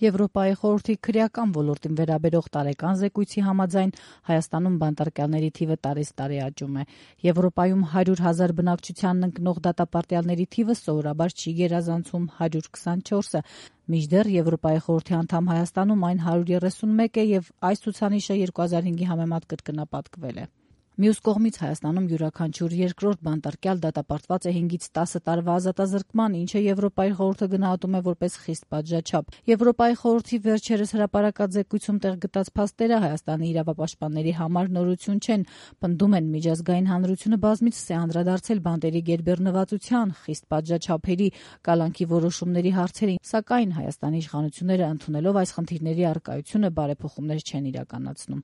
Եվրոպայի խորհրդի քրեական ոլորտին վերաբերող տարեկան զեկույցի համաձայն Հայաստանում բանտարկյալների թիվը տարեց տարի աճում է։ Եվրոպայում 100,000 բնակչությանն ընկնող դատապարտյալների թիվը սովորաբար չի գերազանցում 124-ը, մինչդեռ Եվրոպայի խորհրդի անդամ Հայաստանում այն 131 է եւ այս ցուցանիշը 2005-ի համեմատ կրկնապատկվել է։ Մյուս կողմից Հայաստանում յուրաքանչյուր երկրորդ բանտարկյալ դատապարտված է 5-ից 10 տարվա ազատազրկման, ինչը Եվրոպայի խորհուրդը գնահատում է որպես խիստ պատժաչափ։ Եվրոպայի խորհրդի վերջերս հրապարակած զեկույցում տեղ գտած փաստերը Հայաստանի իրավապաշտպանների համար նորություն չեն, պնդում են միջազգային հանրությունը բազմիցս է անդրադարձել բանտերի գերբեռնվածության, խիստ պատժաչափերի, կալանքի որոշումների հարցերին, սակայն Հայաստանի իշխանությունները ընդունելով այս խնդիրների առկայությունը բարեփոխումներ չեն իրականացնում։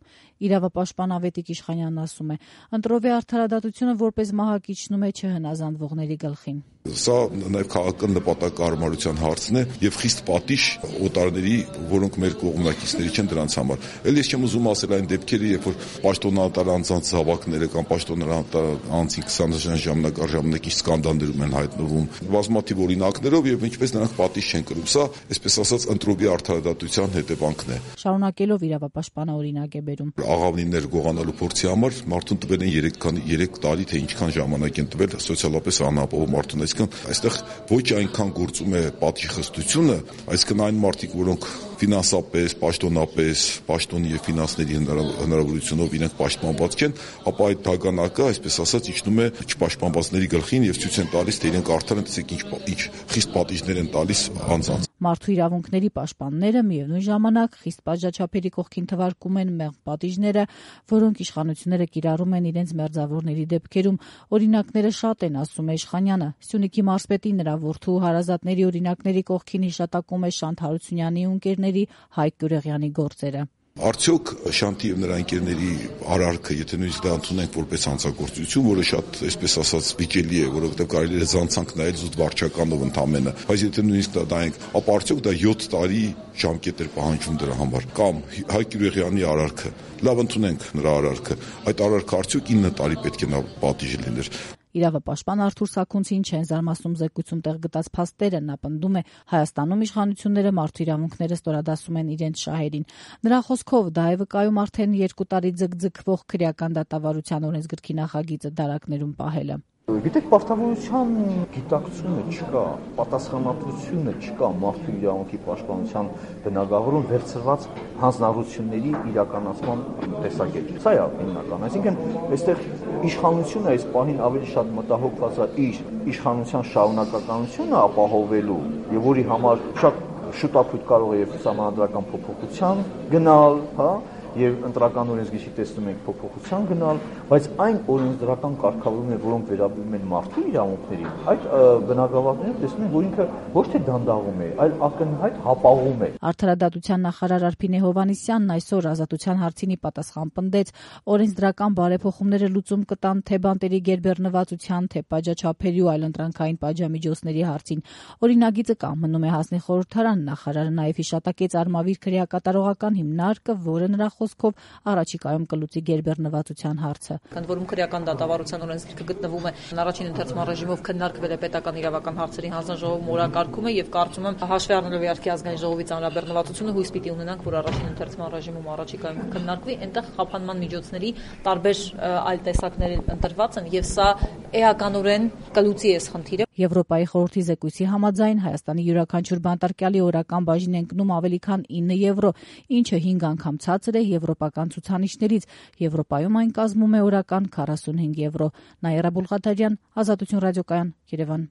Իրավապաշտպան Ավետիք Իշխանյանն ասում է. ընտրովի արդարադատությունը որպես մահակիչնում է չհնազանդվողների գլխին։ Սա նաև քաղաքական նպատակահարմարության հարցն է եւ խիստ պատիժ օտարների, որոնք մեր կողմնակիցների չեն դրանց համար։ Էլ ես չեմ ուզում ասել այն դեպքերը, երբ որ պաշտոնատար անձանց զավակները կամ պաշտոնատար անձին 20 ժամանակի սկանդալներում են հայտնվում բազմաթիվ օրինակներով եւ ինչպես նրանք պատիժ չեն կրում։ Սա, այսպես ասած, ընտրովի արդարադատության հետևանքն է։ Շարունակելով իրավապաշտպանը օրինակ է բերում. Աղավնիներ գողանալու փորձի համար մարդուն տվել են 3 տարի, թե ինչքան ժամանակ են տվել սոցիալապես անապահով մարդուն։ Այստեղ ոչ այնքան գործում է պատժխստությունը, այսինքն այն մարդիկ, որոնք ֆինանսապես, պաշտոնապես, պաշտոնի եւ ֆինանսների հնարավորությունով իրենք պաշտպանված չեն, ապա այդ թագանակը, այսպես ասած, իջնում է չպաշտպանվածների գլխին եւ ցույց են տալիս, թե իրենք արդեն տեսեք ինչ խիստ պատիժներ են տալիս անձանց։ Մարդու իրավունքների պաշտպանները միևնույն ժամանակ խիստ պատժաչափերի կողքին թվարկում են մեղմ պատիժները, որոնք իշխանությունները կիրառում են իրենց մերձավորների դեպքերում։ Օրինակները շատ են, ասում է Իշխանյանը։ Սյունիքի մարզպետի նրա որդու հարազատների օրինակների կողքին հիշատակում է Շանթ Հարությունյանի ընկերների Հայկ Գյուրեղյանի գործերը։ Արդյոք Շանթի եւ նրա ընկերների արարքը, եթե նույնիսկ դա ընդունենք որպես հանցագործություն, որը շատ, այսպես ասած, վիճելի է, որովհետեւ կարելի է զանցանք նայել զուտ վարչականով ընդամենը, բայց եթե նույնիսկ դա դայենք, ապա արդյոք դա 7 տարի ժամկետ էր պահանջում դրա համար։ Կամ Հայկ Գյուրեղյանի արարքը, լավ ընդունենք նրա արարքը, այդ արարքը արդյոք 9 տարի պետք է նա պատիժ լիներ։ Իրավապաշտպան Արթուր Սաքունցին չեն զարմացնում զեկույցում տեղ գտած փաստերը, նա պնդում է Հայաստանում իշխանությունները մարդու իրավունքները ստորադասում են իրենց շահերին։ Նրա խոսքով դա է վկայում արդեն 2 տարի ձգձգվող քրեական դատավարության օրենսգրքի նախագիծը դարակներում պահելը։ Գիտեք, պարտավորության գիտակցությունը չկա, պատասխանատվությունը չկա մարդու իրավունքի պաշտպանության բնագավառում վերցրված հանձնառությունների իրականացման տեսակետից։ Սա է հիմնական։ Այսինքն, այստեղ իշխանությունը այս պահին ավելի շատ մտահոգված է իր իշխանության շարունակականությունը ապահովելու եւ որի համար շատ շուտապույտ կարող է եւ սահմանադրական փոփոխության գնալ, հա, եւ ընտրական օրենսգրքի տեսնում ենք փոփոխության գնալ, բայց այն օրենսդրական կարգավորումները, որոնք վերաբերում են մարդու իրավունքներին, այդ բնագավառներում տեսնում ենք, որ ինքը ոչ թե դանդաղում է, այլ ակնհայտ հապաղում է։ Արդարադատության նախարար Արփինե Հովհաննիսյանն այսօր Ազատության հարցին պատասխան պնդեց, օրենսդրական բարեփոխումները լուծում կտան թե բանտերի գերբեռնվածության, թե պատժաչափերի ու այլընտրանքային պատժամիջոցների հարցին։ Օրինագիծը կամնում է հանձնի խորհրդարան, նախարարը նաև հիշատակեց Արմավիր քրեակատարողական հիմնարկը, որը նրա խոսքով առաջիկայում կլուծի գերբեռնվածության հարցը։ Ընդ որում քրեական դատավարության օրենսգիրքը գտնվում է առաջին ընթերցման ռեժիմով քննարկվել է պետական իրավական հարցերի հանձնաժողովում օրակարգում է եւ կարծում եմ հաշվի առնելով իհարկե ազգային ժողովի ծանրաբեռնվածությունը հույս պիտի ունենանք, որ առաջին ընթերցման ռեժիմում առաջիկայում կքննարկվի, այնտեղ խափանման միջոցների տարբեր այլ տեսակներ ընտրված են եւ սա էականորեն կլուծի այս խնդիրը։ Եվրոպայի խորհրդի զեկույցի համաձայն Հայաստանի յուրաքանչյուր բանտարկյալի օրական բաժին ընկնում ավելի քան 9 եվրո, ինչը 5 անգամ ցածր է եվրոպական ցուցանիշներից։ Եվրոպայում այն կազմում է օրական 45 եվրո։ Նաիրա Բուլղաթարյան, Ազատություն ռադիոկայան, Երևան։